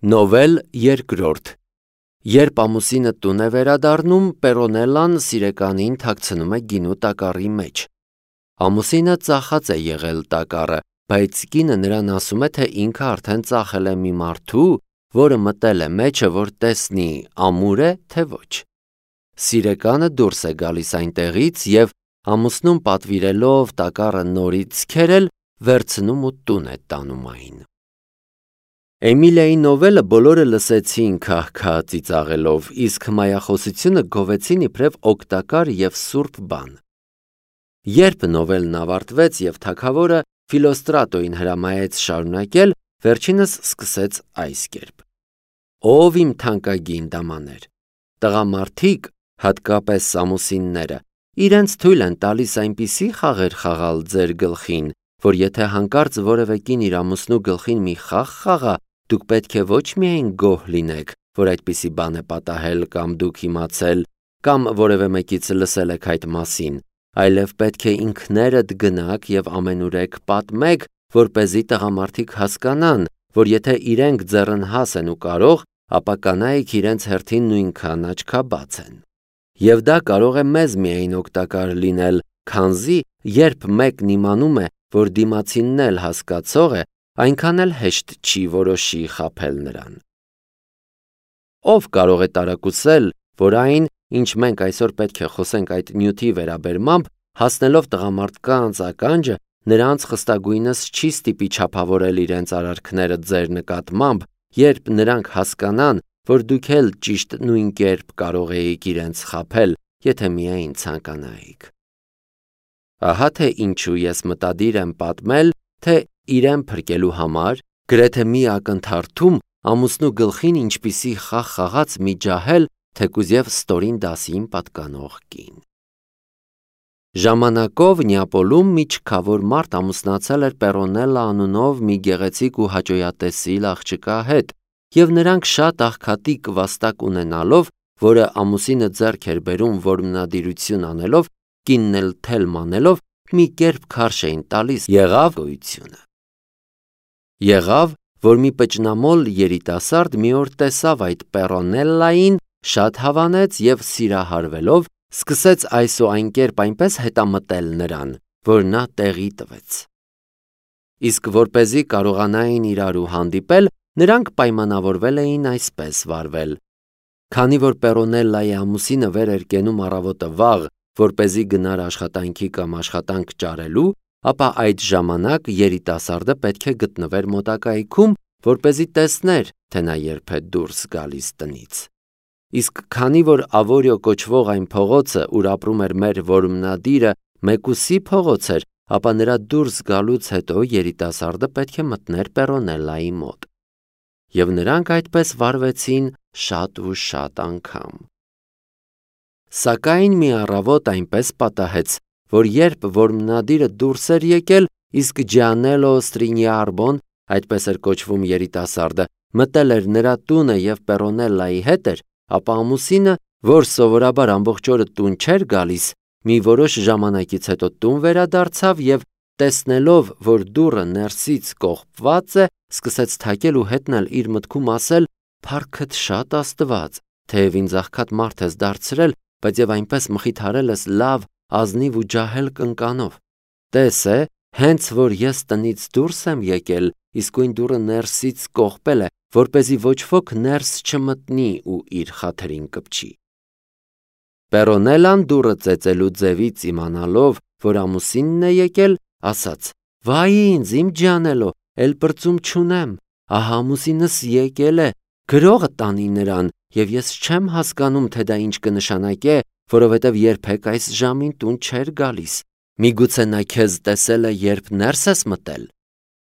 Նովել երկրորդ Երբ ամուսինը տուն է վերադառնում, Պերոնելլան սիրեկանին թաքցնում է գինու տակառի մեջ։ Ամուսինը ծախած է եղել տակառը, բայց կինը նրան ասում է, թե ինքը արդեն ծախել է մի մարդու, որը մտել է մեջը, որ տեսնի ամուր է, թե ոչ։ Սիրեկանը դուրս է գալիս այնտեղից և ամուսնուն պատվիրելով տակառը նորից քերել, վերցնում ու տուն է տանում այն։ Էմիլիայի նովելը բոլորը լսեցին քահ-քահ ծիծաղելով, իսկ հմայախոսությունը գովեցին իբրև օգտակար և սուրբ բան։ Երբ նովելն ավարտվեց և թագավորը Ֆիլոստրատոյին հրամայեց շարունակել, վերջինս սկսեց այս կերպ. Ով իմ թանկագին դամաներ, տղամարդիկ, հատկապես ամուսինները, իրենց թույլ են տալիս այնպիսի խաղեր խաղալ ձեր գլխին, որ եթե հանկարծ որևէ կին իր ամուսնու գլխին մի խաղ խաղա, դուք պետք է ոչ միայն գոհ լինեք, որ այդպիսի բան է պատահել կամ դուք իմացել, կամ որևէ մեկից լսել եք այդ մասին, այլև պետք է ինքներդ գնաք և ամենուրեք պատմեք, որպեսզի տղամարդիկ հասկանան, որ եթե իրենք ձեռնհաս են ու կարող, ապա կանայք իրենց հերթին նույնքան աչքաբաց են։ Եվ դա կարող է մեզ միայն օգտակար լինել, քանզի երբ մեկն իմանում է, որ դիմացինն էլ հասկացող է, այնքան էլ հեշտ չի որոշի խաբել նրան։ Ով կարող է տարակուսել, որ այն, ինչ մենք այսօր պետք է խոսենք այդ նյութի վերաբերմամբ, հասնելով տղամարդկանց ականջը, նրանց խստագույնս չի ստիպի չափավորել իրենց արարքները ձեր նկատմամբ, երբ նրանք հասկանան, որ դուք էլ ճիշտ նույն կերպ կարող էիք իրենց խաբել, եթե միայն ցանկանայիք։ Ահա թե ինչու ես մտադիր եմ պատմել, թե իրեն փրկելու համար, գրեթե մի ակնթարթում ամուսնու գլխին ինչպիսի խաղ խաղաց մի ջահել, թեկուզ և ստորին դասին պատկանող կին։ Ժամանակով Նեապոլում մի չքավոր մարդ ամուսնացել էր Պերոնելլա անունով մի գեղեցիկ ու հաճոյատեսիլ աղջկա հետ, և նրանք շատ աղքատիկ վաստակ ունենալով, որը ամուսինը ձեռք էր բերում որմնադիրություն անելով, կինն էլ թելմ անելով, մի կերպ քարշ էին տալիս, եղավ, որ մի պճնամոլ երիտասարդ մի օր տեսավ այդ Պերոնելլային, շատ հավանեց և սիրահարվելով, սկսեց այս ու այն կերպ այնպես հետամտել նրան, որ նա տեղի տվեց։ Իսկ որպեսզի կարողանային իրարու հանդիպել, նրանք պայմանավորվել էին այսպես վարվել. Քանի որ Պերոնելլայի ամուսինը վեր էր կենում առավոտը վաղ, որպեսզի գնար աշխատանքի կամ աշխատանք ճարելու, ապա այդ ժամանակ երիտասարդը պետք է գտնվեր մոտակայքում, որպեսզի տեսներ, թե նա երբ է դուրս գալիս տնից։ Իսկ քանի որ Ավորիո կոչվող այն փողոցը, ուր ապրում էր մեր որմնադիրը, մեկուսի փողոց էր, ապա նրա դուրս գալուց հետո երիտասարդը պետք է մտներ Պերոնելլայի մոտ։ Եվ նրանք այդպես վարվեցին շատ ու շատ անգամ։ Սակայն մի առավոտ այնպես պատահեց, որ երբ որմնադիրը դուրս էր եկել, իսկ Ջիանելլո Ստրինիարբոն, այդպես էր կոչվում երիտասարդը, մտել էր նրա տունը և Պերոնելլայի հետ էր, ապա ամուսինը, որ սովորաբար ամբողջ օրը տուն չէր գալիս, մի որոշ ժամանակից հետո տուն վերադարձավ և տեսնելով, որ դուռը ներսից կողպված է, սկսեց թակել ու հետն էլ իր մտքում ասել. «Փառքդ շատ Աստված, թեև ինձ աղքատ մարդ ես դարձրել, բայց և այնպես մխիթարել ես լավ, ազնիվ ու ջահել կնկանով։ Տես է, հենց որ ես տնից դուրս եմ եկել, իսկույն դուռը ներսից կողպել է, որպեսզի ոչ ոք ներս չմտնի ու իր խաթրին կպչի»։ Պերոնելլան դուռը ծեծելու ձևից իմանալով, որ ամուսինն է եկել, ասաց. «Վայ ինձ, իմ Ջիանելլո, էլ պրծում չունեմ, ահա ամուսինս եկել է, գրողը տանի նրան, և ես չեմ հասկանում, թե դա ինչ կնշանակե, որովհետև երբեք այս ժամին տուն չէր գալիս։ Միգուցե նա քեզ տեսել է, երբ ներս ես մտել։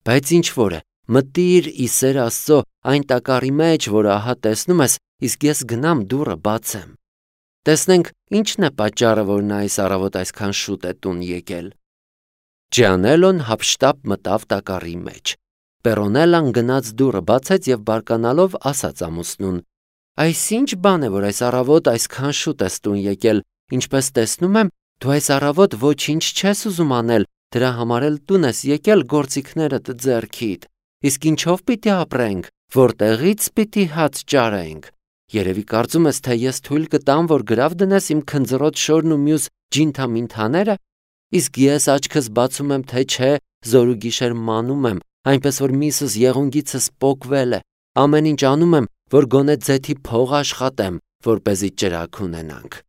Բայց ինչ-որ է, մտիր ի սեր Աստծո այն տակառի մեջ, որը ահա տեսնում ես, իսկ ես գնամ դուռը բացեմ։ Տեսնենք ինչն է պատճառը, որ նա այս առավոտ այսքան շուտ է տուն եկել»։ Ջիանելլոն հափշտապ մտավ տակառի մեջ։ Պերոնելլան գնաց դուռը բացեց և բարկանալով ասաց ամուսնուն. «Այս ինչ բան է, որ այս առավոտ այսքան շուտ ես տուն եկել, ինչպես տեսնում եմ, դու այս առավոտ ոչինչ չես ուզում անել, դրա համար էլ տուն ես եկել գործիքներդ ձեռքիդ, իսկ ինչով պիտի ապրենք, Որտեղից պիտի հաց ճարենք։ Երևի կարծում ես, թե ես թույլ կտամ, որ գրավ դնես իմ քնձռոտ շորն ու մյուս ջինթամինթաները։ Իսկ ես աչքս բացում եմ, թե չէ, զոր ու գիշեր մանում եմ, այնպես որ միսս եղունգիցս պոկվել է։ Ամեն ինչ անում եմ, որ գոնե ձեթի փող աշխատեմ, որպեսզի ճրագ ունենանք։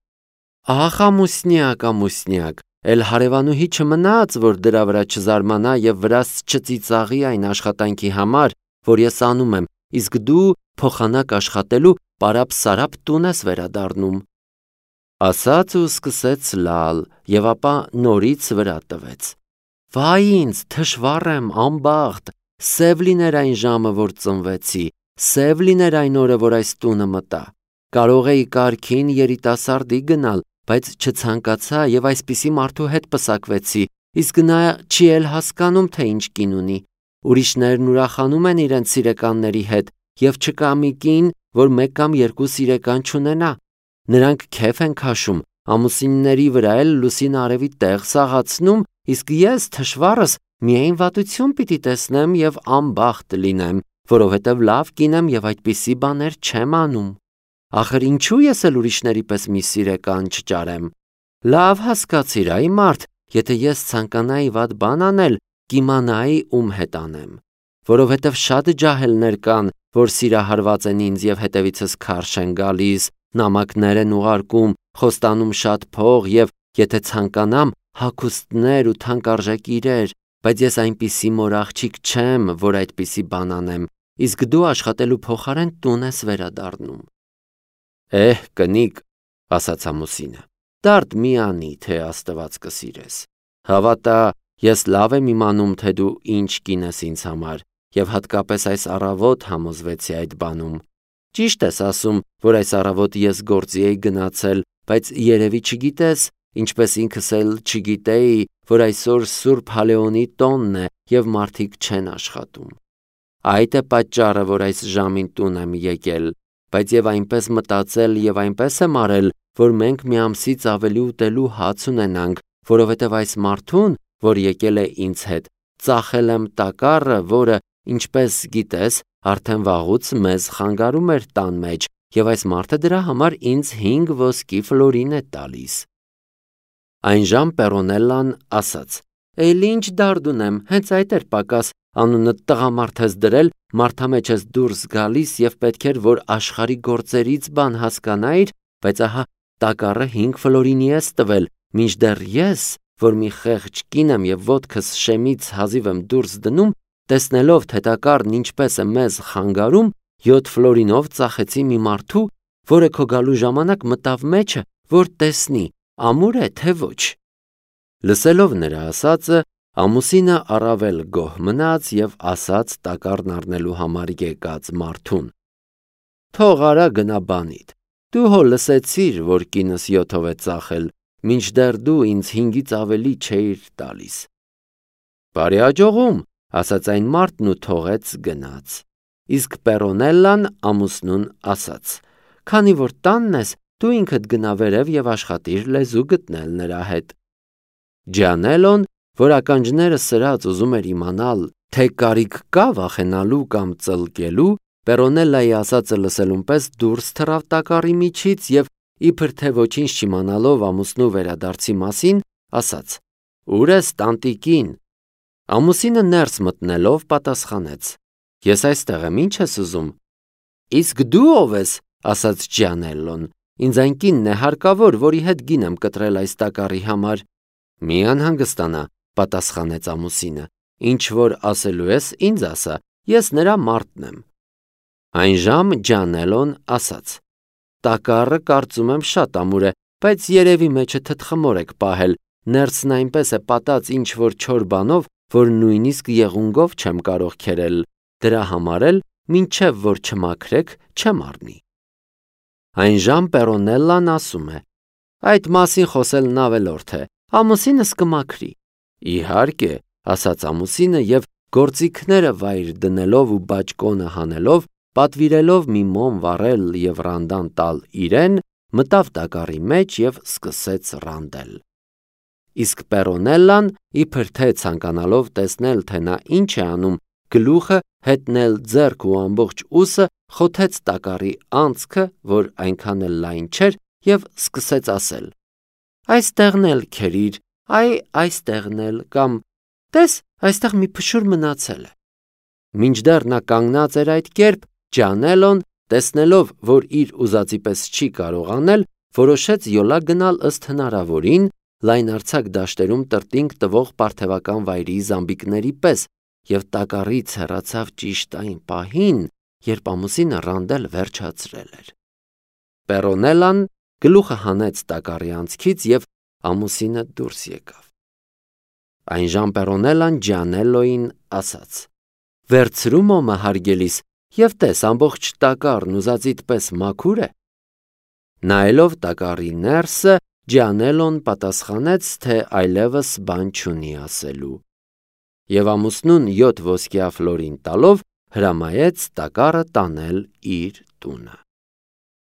Ահ, ամուսնյակ, էլ հարևանուհի չմնաց, որ դրա վրա չզարմանա եւ վրաս չծիծաղի այն աշխատանքի համար, որ ես անում եմ, իսկ դու փոխանակ աշխատելու պարապ-սարապ տուն ես վերադառնում։ Ասաց ու սկսեց լալ եւ ապա նորից վրա տվեց։ Վայ ինձ, թշվառ եմ, անբախտ, սև լիներ այն ժամը, որ ծնվեցի, սև լիներ այն օրը, որ այս տունը մտա։ Կարող էի կարգին երիտասարդի գնալ, բայց չցանկացա եւ այսպիսի մարդու հետ պսակվեցի, իսկ նա չի էլ հասկանում, թե ինչ կին ունի։ Ուրիշներն ուրախանում են իրենց սիրեկանների հետ եւ չկա մի կին, որ մեկ կամ երկու սիրեկան չունենա։ Նրանք քեֆ են քաշում, ամուսինների վրա էլ լուսին արևի տեղ սաղացնում, իսկ ես թշվառս միայն վատություն պիտի տեսնեմ եւ անբախտ լինեմ, որովհետեւ լավ կին եմ եւ այդպիսի բաներ չեմ անում։ Ախր ինչու ես էլ ուրիշների պես մի սիրեկան չճարեմ։ Լավ հասկացիր, այ մարդ, եթե ես ցանկանայի վատ բան անել, կիմանայի ում հետ անեմ, որովհետեւ շատ ջահելներ կան, որ սիրահարված են ինձ եւ հետևիցս քարշ են գալիս, նամակներ են ուղարկում, խոստանում շատ փող եւ եթե ցանկանամ, հագուստներ ու թանկարժեք իրեր, բայց ես այնպիսի մոր աղջիկ չեմ, որ այդպիսի բան անեմ, իսկ դու աշխատելու փոխարեն տուն ես վերադառնում։ Կնիկ, ասաց ամուսինը, դարդ մի անի, թե Աստված կսիրես։ Հավատա, ես լավ եմ իմանում, թե դու ինչ կին ես ինձ համար, եւ հատկապես այս առավոտ համոզվեցի այդ բանում։ Ճիշտ ես ասում, որ այս առավոտ ես գործի էի գնացել, բայց երևի չգիտես, ինչպես ինքս էլ չգիտեի, որ այսօր Սուրբ Հալեոնի տոնն է եւ մարդիկ չեն աշխատում։ Այդ է պատճառը, որ այս ժամին տուն եմ եկել, բայց եւ այնպես մտածել եւ այնպես եմ արել, որ մենք մի ամսից ավելի ուտելու հաց ունենանք, որովհետեւ այս մարդուն, որ եկել է ինձ հետ, ծախել եմ տակառը, որը, ինչպես գիտես, արդեն վաղուց մեզ խանգարում էր տան մեջ, եւ այս մարդը դրա համար ինձ 5 ոսկի ֆլորին է տալիս։ Այնժամ Պերոնելլան ասաց. Էլ ինչ դարդ ունեմ, հենց այդ էր պակաս, անունը տղամարդ ես դրել, մարդամեջ ես դուրս գալիս եւ պետք էր, որ աշխարհի գործերից բան հասկանայիր, բայց ահա տակառը 5 ֆլորինի ես տվել, մինչդեռ ես, որ մի խեղճ կին եմ եւ ոտքս շեմից հազիվ եմ դուրս դնում, տեսնելով թե տակառն ինչպես է մեզ խանգարում, 7 ֆլորինով ծախեցի մի մարդու, որը քո գալու ժամանակ մտավ մեջը, որ տեսնի, ամուր է թե ոչ։ Լսելով նրա ասածը, ամուսինը առավել գոհ մնաց եւ ասաց տակառն առնելու համար եկած մարդուն. Թող արա գնա բանիդ, դու հո լսեցիր, որ կինս 7-ով է ծախել, մինչդեռ դու ինձ 5-ից ավելի չէիր տալիս։ Բարի աջողում, ասաց այն մարդն ու թողեց գնաց։ Իսկ Պերոնելլան ամուսնուն ասաց. Քանի որ տանն ես, դու ինքդ գնա վերև եւ աշխատիր լեզու գտնել նրա հետ։ Ջանելոն, որ ականջները սրած ուզում էր իմանալ, թե կարիք կա վախենալու կամ ծլկելու, Պերոնելլայի ասածը լսելուն պես դուրս թռավ տակառի միջից եւ իբր թե ոչինչ չիմանալով ամուսնու վերադարձի մասին, ասաց. Ուր ես տանտիկին։ Ամուսինը ներս մտնելով պատասխանեց. Ես այստեղ եմ, ինչ ես ուզում։ Իսկ դու ով ես, ասաց Ջանելլոն։ Ինձ այն կինն է հարկավոր, որի հետ գին եմ կտրել այս տակառի համար։ Մի անհանգստանա, պատասխանեց ամուսինը։ Ինչ որ ասելու ես, ինձ ասա, ես նրա մարդն եմ։ Այնժամ Ջանելլոն ասաց. Տակառը կարծում եմ շատ ամուր է, բայց երևի մեջը թթխմոր եք պահել, ներսն այնպես է պատած ինչ որ չոր բանով, որ նույնիսկ եղունգով չեմ կարող քերել, դրա համար էլ մինչև որ չմաքրեք, չեմ առնի։ Այնժամ Պերոնելլան ասում է. Այդ մասին խոսելն ավելորդ է, ամուսինս կմաքրի։ Իհարկե, ասաց ամուսինը եւ գործիքները վայր դնելով ու բաճկոնը հանելով, պատվիրելով մի մոմ վառել եւ ռանդան տալ իրեն, մտավ տակառի մեջ եւ սկսեց ռանդել։ Իսկ Պերոնելլան, իբր թե ցանկանալով տեսնել, թե նա ինչ է անում, գլուխը, հետնել ձեռք ու ամբողջ ուսը, խոթեց տակառի անցքը, որ այնքան էլ լայն չէր, եւ սկսեց ասել. «Այստեղն էլ քերիր, այստեղն էլ» կամ «Տես, այստեղ մի փշուր մնացել է»։ Մինչդեռ նա կանգնած էր այդ կերպ, Ջանելոն, տեսնելով, որ իր ուզածի պես չի կարող անել, որոշեց յոլա գնալ ըստ հնարավորին լայնարձակ դաշտերում տրտինգ տվող պարթևական վայրի զամբիկների պես եւ տակառից հեռացավ ճիշտ այն պահին, երբ ամուսինը ռանդել վերջացրել էր։ Պերոնելան գլուխը հանեց տակառի անցքից եւ ամուսինը դուրս եկավ։ Այնժամ Պերոնելան Ջանելոյին ասաց. «Վերցրու մոմը, հարգելիս, եւ տես ամբողջ տակառն ուզածիդ պես մաքուր է»։ Նայելով տակառի ներսը, Ջանելոն պատասխանեց, թե այլևս բան չունի ասելու։ Եվ ամուսնուն 7 ոսկյա ֆլորին տալով հրամայեց տակառը տանել իր տունը։